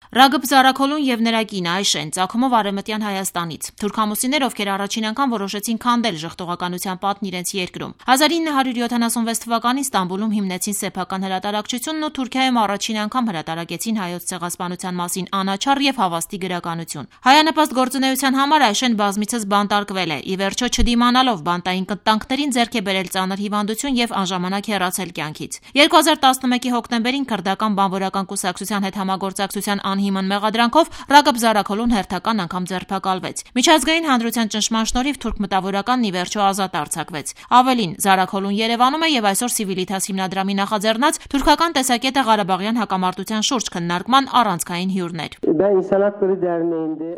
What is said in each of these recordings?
Ռագիբ Զարաքոլուն եւ նրա կինը Այշեն ծագումով արևմտյան Հայաստանից։ Թուրքամուսիներ, ովքեր առաջին անգամ որոշեցին քանդել ժխտողականության պատն իրենց երկրում։ 1976 թվականին Ստամբուլում հիմնեցին սեփական հրատարակչությունն ու Թուրքիայում առաջին անգամ հրատարակեցին հայոց ցեղասպանության մասին անաչառ եւ հավաստի գրականություն։ Հայանպաստ գործունեության համար Այշեն բազմիցս բանտարկվել է։ Ի վերջո չդիմանալով բանտային կտանքներին ձեռք է բերել ծանր հիվանդություն եւ անժամանակ հեռացել կյանքից։ 2011-ի հոկտեմբերին քրդական բանվորական կուսակցության հետ համագործակցության անհիմն մեղադրանքով Ռագիբ Զարաքոլուն հերթական անգամ ձերբակալվեց։ Միջազգային հանրության ճնշման շնորհիվ թուրք մտավորականն ի վերջո ազատ արձակվեց։ Ավելին, Զարաքոլուն Երևանում է եւ այսօր Civitas հիմնադրամի նախաձեռնած թուրքական տեսակետը Ղարաբաղյան հակամարտության շուրջ քննարկման առանցքային հյուրն էր։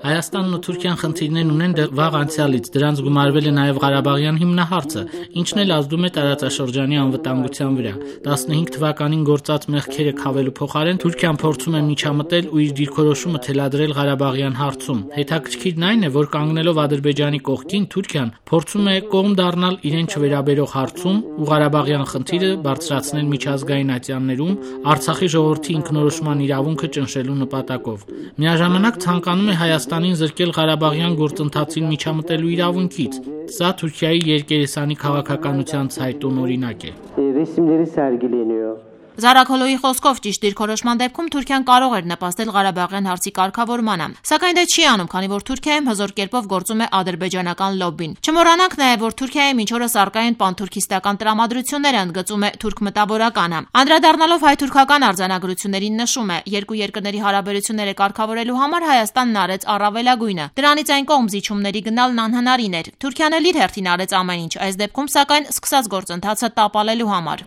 Հայաստանն ու Թուրքիան խնդիրներ ունեն դեռ վաղ անցյալից, դրանց գումարվել է նաեւ Ղարաբաղյան հիմնահարցը, ինչն էլ ազդում է տարածաշրջանի անվտանգության վրա։ 15 թվականին գործած մեղքերը քավելու փոխարեն Թուրքիան փորձում է միջամտել ու իր դիրքորոշումը թելադրել Ղարաբաղյան հարցում։ Հետաքրքիրն այն է, որ կանգնելով Ադրբեջանի կողքին Թուրքիան փորձում է կողմ դառնալ իրեն չվերաբերող հարցում ու Ղարաբաղյան խնդիրը բարձրացնել միջազգային ատյաններում Արցախի ժողովրդի ինքնորոշման իրավունքը ճնշելու նպատակով։ Միաժամանակ ցանկանում է Հայաստանին զրկել Ղարաբաղյան գործընթացին միջամտելու իրավունքից։ Սա Թուրքիայի երկերեսանի քաղաքականության ցայտուն օրինակ է։ Զարաքոլոյի խոսքով ճիշտ դիրքորոշման դեպքում Թուրքիան կարող էր նպաստել Ղարաբաղյան հարցի կարգավորմանը, սակայն դա չի անում, քանի որ Թուրքիայում հզոր կերպով գործում է ադրբեջանական լոբբին։ Չմոռանանք նաև, որ Թուրքիայում ինչ օրս առկա են պանթուրքիստական տրամադրությունները, ընդգծում է թուրք մտավորականը։ Անդրադառնալով հայ-թուրքական արձանագրություններին նշում է, երկու երկրների հարաբերությունները կարգավորելու համար Հայաստանն արեց առավելագույնը։ Դրանից այն կողմ զիջումների գնալն անհնարին էր։ Թուրքիան էլ իր հերթին արեց ամեն ինչ, այս դեպքում սակայն սկսած գործընթացը տապալելու համար։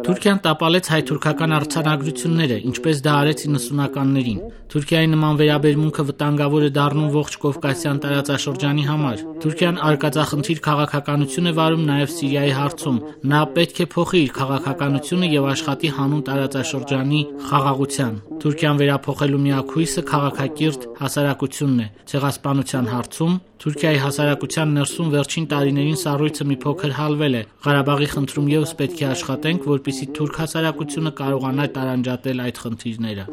Թուրքիան տապալեց հայ-թուրքական արձանագրությունները, ինչպես դա արեց 90-ականներին։ Թուրքիայի նման վերաբերմունքը վտանգավոր է դառնում ողջ Կովկասյան տարածաշրջանի համար։ Թուրքիան արկածախնդիր քաղաքականություն է վարում նաև Սիրիայի հարցում։ Նա պետք է փոխի իր քաղաքականությունը եւ աշխատի հանուն տարածաշրջանի խաղաղության։ Թուրքիան վերափոխելու միակ հույսը քաղաքակիրթ հասարակությունն է։ Ցեղասպանության հարցում Թուրքիայի հասարակության ներսում վերջին տարիներին սառույցը մի փոքր հալվել է։ Ղարաբաղի խնդրում եւս պետք է աշխատենք, որպեսզի թուրք հասարակությունը կարողանա տարանջատել այդ խնդիրները։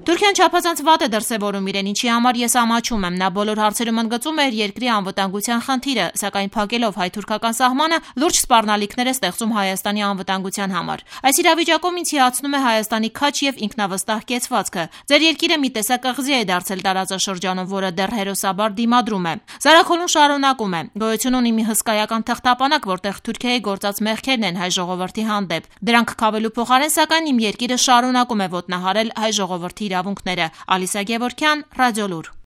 Թուրքիան չափազանց վատ է դրսևորում իրեն, ինչի համար ես ամաչում եմ։ Նա բոլոր հարցերում ընդգծում է երկրի անվտանգության խնդիրը, սակայն փակելով հայ-թուրքական սահմանը լուրջ սպառնալիքներ է ստեղծում Հայաստանի անվտանգության համար։ Այս իրավիճակում ինձ հիացնում է Հայաստանի քաջ եւ ինքնավստահ կեցվածքը։ Ձեր երկիրը մի տեսակ ըղձի է դարձել տարածաշրջանում, որը դեռ հերոսաբար դիմադրում է։ Զարաքոլուն շարունակում է. գոյություն ունի մի հսկայական թղթապանակ, որտեղ Թուրքիայի գործած մեղքերն են հայ ժողովրդի հանդեպ։ Դրանք քավելու փոխարեն, սակայն իմ երկիրը շարունակում է ոտնահարել հայ ժողովրդի իրավունքները։ Ալիսա Գևորգյան, Ռադիոլուր։